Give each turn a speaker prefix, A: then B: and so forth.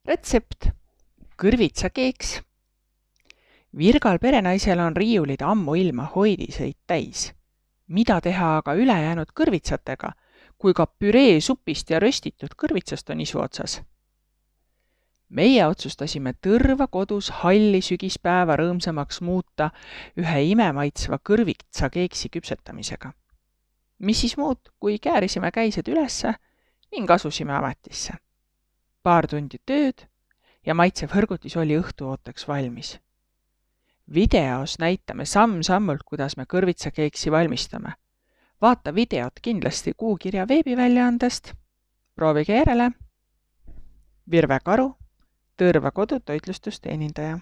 A: Retsept. Kõrvitsakeeks. Virgal perenaisel on riiulid ammuilma hoidiseid täis. Mida teha aga ülejäänud kõrvitsatega, kui ka püree supist ja röstitud kõrvitsast on isu otsas? Meie otsustasime tõrva kodus halli sügispäeva rõõmsamaks muuta ühe imemaitsva kõrvitsakeeksi küpsetamisega. Mis siis muud, kui käärisime käised ülesse ning asusime ametisse. Paar tundi tööd ja maitsev hõrgutis oli õhtuooteks valmis. Videos näitame samm-sammult, kuidas me kõrvitsakeeksi valmistame. Vaata videot kindlasti Kuukirja veebiväljaandest. Proovige järele. Virve Karu, Tõrva kodutoitlustusteenindaja.